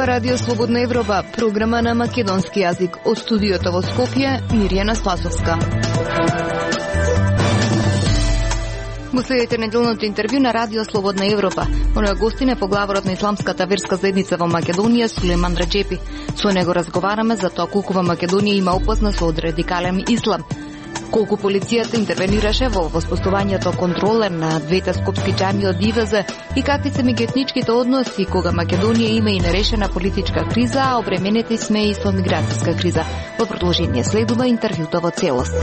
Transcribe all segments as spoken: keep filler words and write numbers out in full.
Ова Радио Слободна Европа, програма на македонски јазик. Од студиото во Скопје, Мирјана Спасовска. Го следите неделното интервју на Радио Слободна Европа. Оно е гостине поглаворот на исламската верска заедница во Македонија, Сулеман Раџепи. Со него разговараме за тоа колку во Македонија има опасност од радикален ислам. Колку полицијата интервенираше во воспоставувањето контроле на двете скопски џамии од ИВЗ и какви се меѓуетничките односи кога Македонија има и нерешена политичка криза, а обременети сме и со миграцијска криза. Во продолжение следува интервјуто во целост.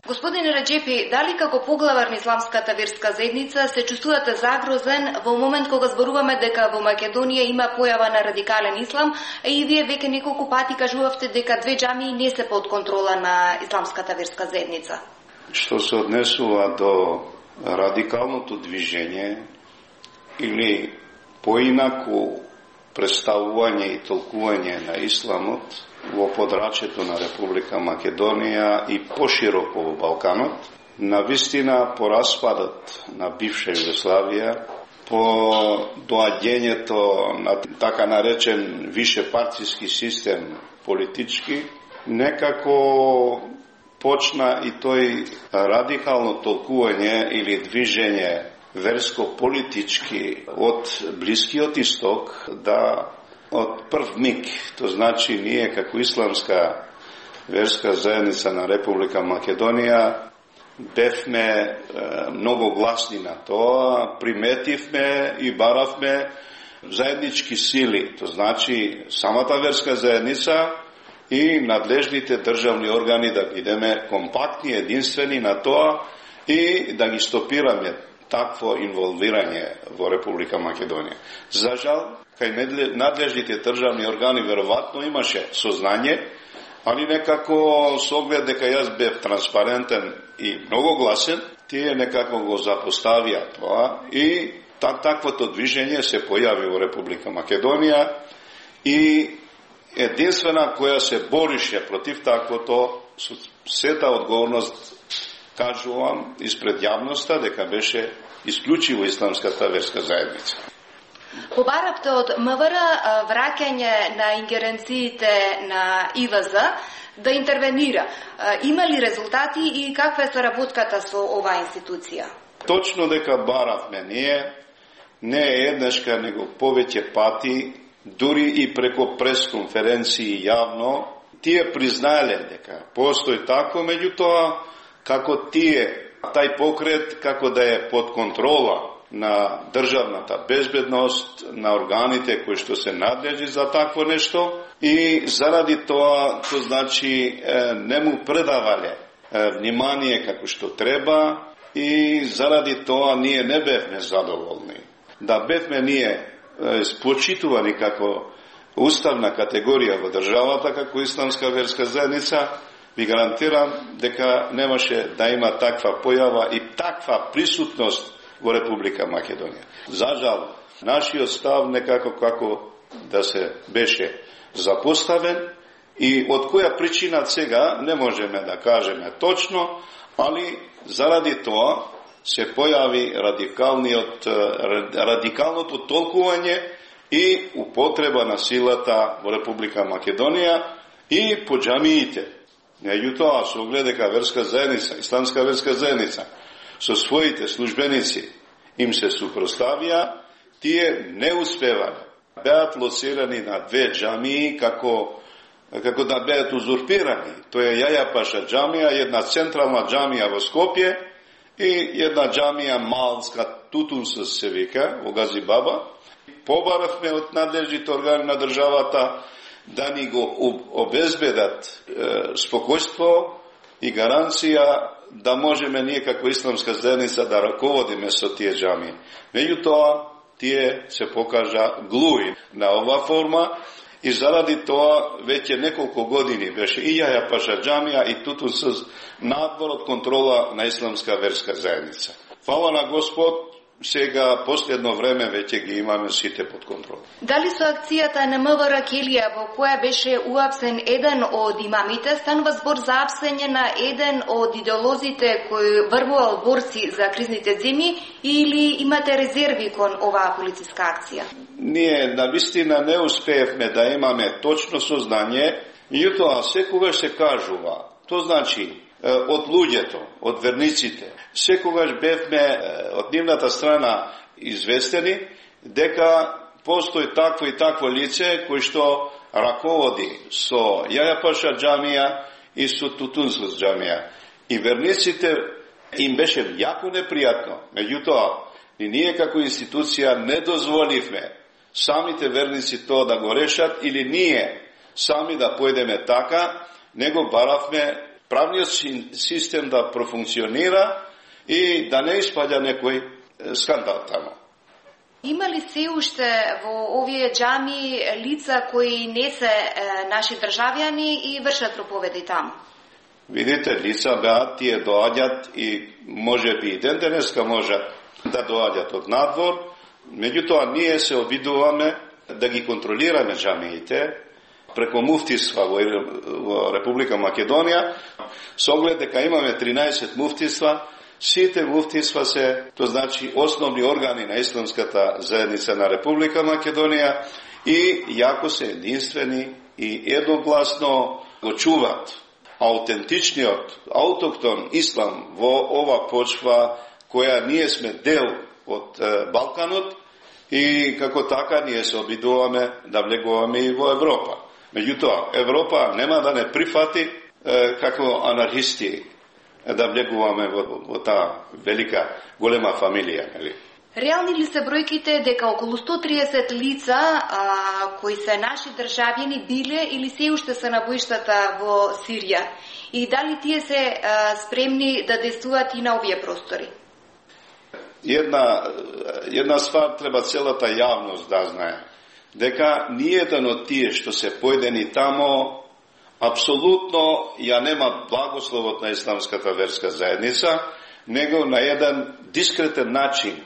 Господине Раџепи, дали како поглавар на исламската верска заедница се чувствувате загрозен во момент кога зборуваме дека во Македонија има појава на радикален ислам, и вие веќе неколку пати кажувавте дека две џамии не се под контрола на исламската верска заедница? Што се однесува до радикалното движење или поинаку представување и толкување на исламот во подрачјето на Република Македонија и пошироко во Балканот, навистина по распадот на бивша Југославија, по доаѓањето на така наречен вишепартиски систем политички, некако почна и тој радикално толкување или движење верско-политички од Блискиот Исток да од прв миг, то значи ние како исламска верска заедница на Република Македонија бевме е, многу гласни на тоа, приметивме и баравме заеднички сили, то значи самата верска заедница и надлежните државни органи да бидеме компактни, единствени на тоа и да ги стопираме такво инволвирање во Република Македонија. За жал, кај надлежните државни органи веројатно имаше сознание, али некако со оглед дека јас бев транспарентен и многу гласен, тие некако го запоставија тоа и так, таквото движење се појави во Република Македонија и единствена која се борише против таквото со сета одговорност кажувам испред јавноста дека беше исклучиво исламската верска заедница. Побаравте од МВР враќање на ингеренциите на ИВЗ да интервенира. Има ли резултати и каква е соработката со оваа институција? Точно дека баравме ние, не е еднашка, него повеќе пати, дури и преко пресконференции јавно, тие признаеле дека постои тако, меѓутоа како тие, тај покрет како да е под контрола на државната безбедност, на органите кои што се надлежи за такво нешто и заради тоа, то значи не му предавале внимание како што треба и заради тоа ние не бевме задоволни. Да бевме ние почитувани како уставна категорија во државата, како исламска верска заедница, ви гарантирам дека немаше да има таква појава и таква присутност во Република Македонија. За жал, нашиот став некако како да се беше запоставен и од која причина сега не можеме да кажеме точно, али заради тоа се појави радикалниот, радикалното толкување и употреба на силата во Република Македонија и по џамиите. Меѓутоа, со оглед дека верска заедница, исламска верска заедница, со своите службеници им се супроставија, тие не успевале. Беат лоцирани на две џамии како, како да беат узурпирани. Тоа е Јаја Паша џамија, една централна џамија во Скопје и една џамија малска, Тутунсус се вика, во Газибаба. Побаравме од надлежните органи на државата да ни го обезбедат е, спокојство и гаранција да можеме ние како исламска заедница да раководиме со тие џамии. Меѓутоа, тие се покажа глуи на ова форма и заради тоа веќе неколку години беше и Јаја Паша џамија и Тутунсус надвор од контрола на исламска верска заедница. Фала на Господ, сега последно време веќе ги имаме сите под контрола. Дали со акцијата на МВР Келија, во која беше уапсен еден од имамите, станува збор за апсење на еден од идеолозите кој врвувал борци за кризните земји, или имате резерви кон оваа полициска акција? Ние навистина не успеевме да имаме точно сознање, меѓутоа секогаш се кажува, тоа значи од луѓето, од верниците, секогаш бевме од нивната страна известени дека постои такво и такво лице кој што раководи со Јајапаша џамија и со Тутунсус џамија. И верниците им беше јако непријатно. Меѓутоа, и ние како институција не дозволивме самите верници тоа да го решат или ние сами да појдеме така, него баравме правниот систем да профункционира и да не испаѓа некој скандал тамо. Има ли се уште во овие џами лица кои не се е, наши државјани и вршат проповеди таму? Видите, лица беа, тие доаѓат и може би и ден денеска можат да доаѓат од надвор, меѓутоа ние се обидуваме да ги контролираме џамиите преку муфтиства во Република Македонија, со оглед дека имаме тринаесет муфтиства, сите муфтиства се, тоа значи основни органи на исламската заедница на Република Македонија и јако се единствени и едногласно го чуват аутентичниот, аутоктон ислам во ова почва која ние сме дел од Балканот и како така ние се обидуваме да влегуваме и во Европа. Меѓутоа, Европа нема да не прифати е, како анархисти да влегуваме во, во таа велика, голема фамилија. Нели? Реални ли се бројките дека околу сто триесет лица а, кои се наши државјани биле или се уште се на боиштата во Сирија? И дали тие се а, спремни да действуваат и на овие простори? Една, една ствар треба целата јавност да знае. Дека ниеден од тие што се појдени тамо апсолутно ја нема благословот на исламската верска заедница, него на еден дискретен начин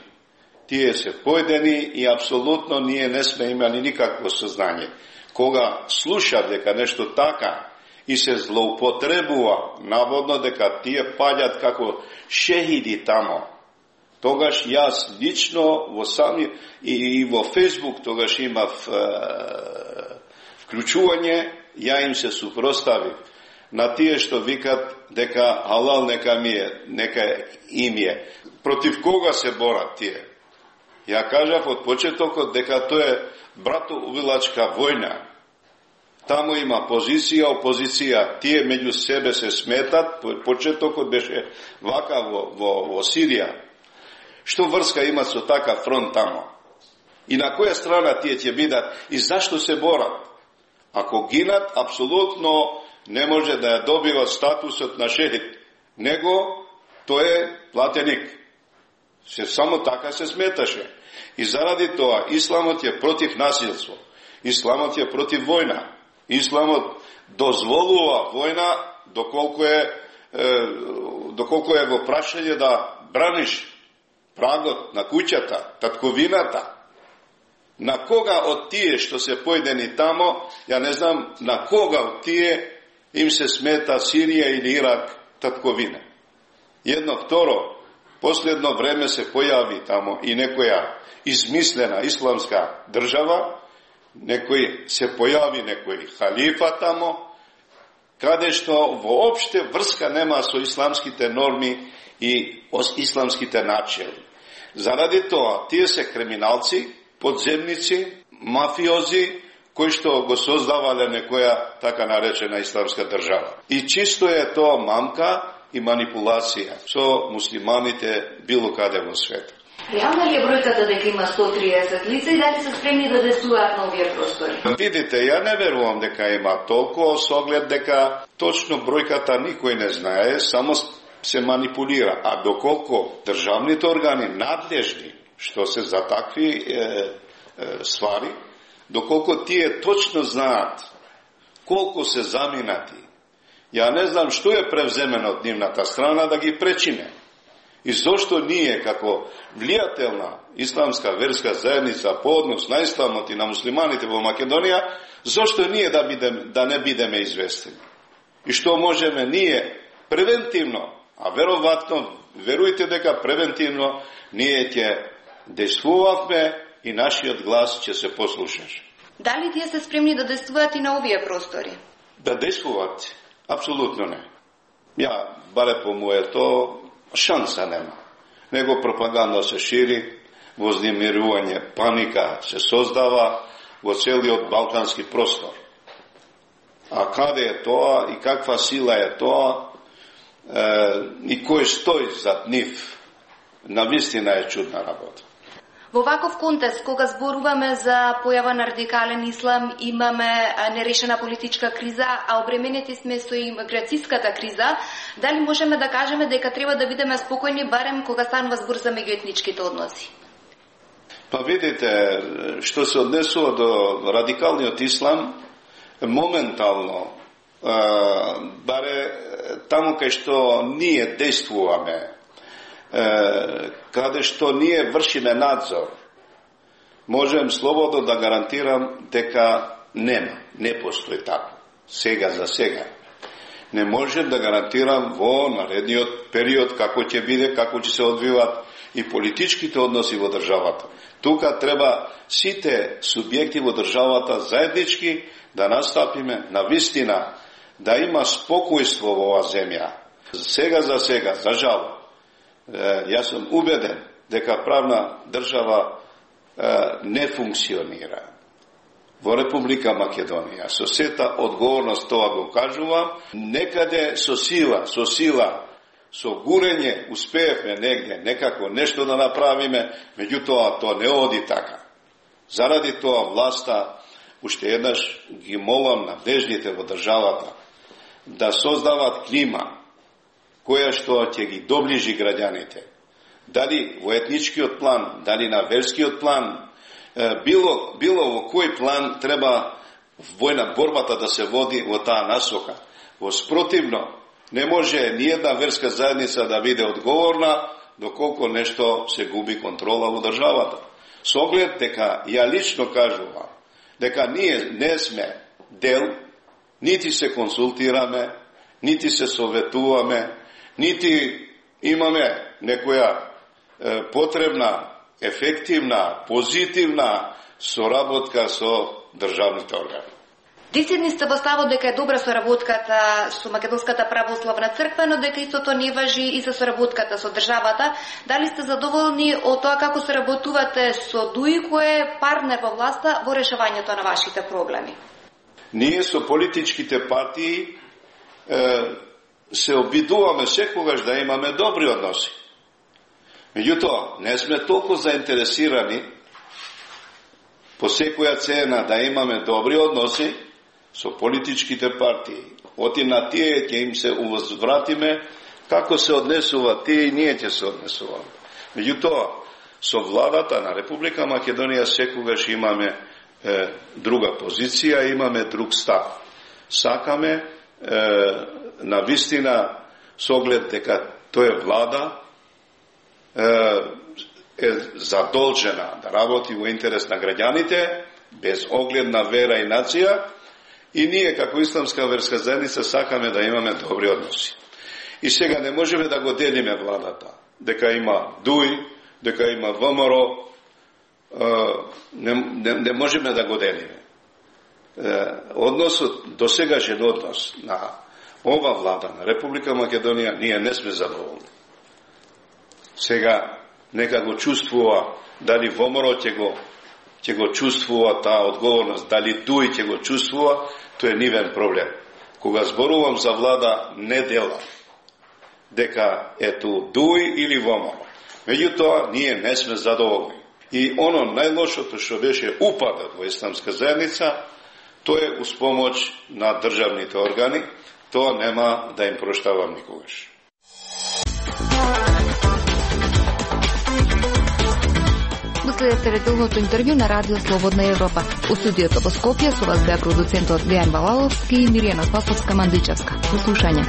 тие се појдени и апсолутно ние не сме имали никакво сознање. Кога слуша дека нешто така и се злоупотребува, наводно дека тие паѓат како шехиди тамо, тогаш јас лично во сами и, и во Фејсбук тогаш имав е, вклучување, ја им се супроставив на тие што викат дека халал нека ми е, нека им е. Против кога се борат тие? Ја кажав од почетокот дека тоа е братоувилачка војна. Таму има позиција, опозиција, тие меѓу себе се сметат, почетокот беше вака во, во, во Сирија. Што врска имат со така фронт тамо? И на која страна тие ќе бидат и зашто се борат? Ако гинат, апсолутно не може да ја добива статусот на шехид, него тој е платеник. Се само така се сметаше. И заради тоа исламот е против насилство. Исламот е против војна. Исламот дозволува војна доколку е, е доколку е во прашање да браниш прагот на куќата, татковината. На кога од тие што се појдени тамо, ја не знам на кога од тие им се смета Сирија или Ирак татковина. Едно второ, последно време се појави тамо и некоја измислена исламска држава, некој се појави некој халифа тамо, каде што воопште врска нема со исламските норми и исламските начели. Заради тоа, тие се криминалци, подземници, мафиози, кои што го создавале некоја така наречена исламска држава. И чисто е тоа мамка и манипулација со муслиманите било каде во свет. Реална ли е бројката дека има сто триесет лица и дали се спремни да действуваат на овие простори? Видите, ја не верувам дека има толку, со оглед дека точно бројката никој не знае, само се манипулира. А доколку државните органи надлежни, што се за такви е, е, ствари, доколку тие точно знаат колку се заминати, ја не знам што е превземено од нивната страна да ги пречине. И зошто ние, како влијателна исламска верска заедница по однос на исламот и на муслиманите во Македонија, зошто ние да, бидем, да не бидеме известени? И што можеме ние превентивно, а веројатно, верујте дека превентивно, ние ќе действувавме и нашиот глас ќе се послушаш. Дали тие се спремни да действуваат и на овие простори? Да действуваат? Апсолутно не. Ја, баре по моето, шанса нема. Него пропаганда се шири, вознемирување, паника се создава во целиот балкански простор. А каде е тоа и каква сила е тоа е, и кој стои зад нив, навистина е чудна работа. Во ваков контекст, кога зборуваме за појава на радикален ислам, имаме нерешена политичка криза, а обременети сме со имиграцијската криза, дали можеме да кажеме дека треба да бидеме спокојни барем кога станува збор за меѓуетничките односи? Па видите, што се однесува до радикалниот ислам, моментално, баре таму кај што ние действуваме, каде што ние вршиме надзор, можем слободно да гарантирам дека нема, не постои тако. Сега за сега. Не можем да гарантирам во наредниот период како ќе биде, како ќе се одвиваат и политичките односи во државата. Тука треба сите субјекти во државата заеднички да настапиме на вистина, да има спокојство во оваа земја. Сега за сега, за жал, јас сум убеден дека правна држава не функционира во Република Македонија. Со сета одговорност тоа го кажувам, некаде со сила, со сила, со гурење успеевме негде некако нешто да направиме, меѓутоа тоа не оди така. Заради тоа власта, уште еднаш ги молам надежните во државата да создават клима која што ќе ги доближи граѓаните. Дали во етничкиот план, дали на верскиот план, било, било во кој план треба војна борбата да се води во таа насока. Во спротивно, не може ниједна верска заедница да биде одговорна доколку нешто се губи контрола во државата. Со оглед дека ја лично кажувам дека ние не сме дел, нити се консултираме, нити се советуваме, нити имаме некоја е, потребна, ефективна, позитивна соработка со државните органи. Десетни сте во ставот дека е добра соработката со Македонската православна црква, но дека истото не важи и за соработката со државата. Дали сте задоволни од тоа како соработувате со ДУИ, кој е партнер во власта во решавањето на вашите проблеми? Ние со политичките партии е, се обидуваме секогаш да имаме добри односи. Меѓутоа, не сме толку заинтересирани по секоја цена да имаме добри односи со политичките партии. Оти на тие ќе им се увозвратиме како се однесува тие и ние ќе се однесуваме. Меѓутоа, со владата на Република Македонија секогаш имаме е, друга позиција, имаме друг став. Сакаме е, на вистина со оглед дека тоа е влада е задолжена да работи во интерес на граѓаните, без оглед на вера и нација, и ние како исламска верска заедница сакаме да имаме добри односи. И сега не можеме да го делиме владата, дека има ДУИ, дека има ВМРО, не, не, не можеме да го делиме. Односот, досегашен однос на ова влада на Република Македонија, ние не сме задоволни. Сега нека го чувствува, дали ВМРО ќе го ќе го чувствува таа одговорност, дали ДУИ ќе го чувствува, тоа е нивен проблем. Кога зборувам за влада, не делам дека ето ДУИ или ВМРО. Меѓутоа, ние не сме задоволни. И оно најлошото што беше упадот во исламска заедница, тоа е уз помош на државните органи, тоа нема да им проштавам никогаш. Следете редовното интервју на Радио Слободна Европа. У студиото во Скопје со вас беа продуцентот Дејан Балаловски и Миријана Спасовска-Мандичевска. До слушање.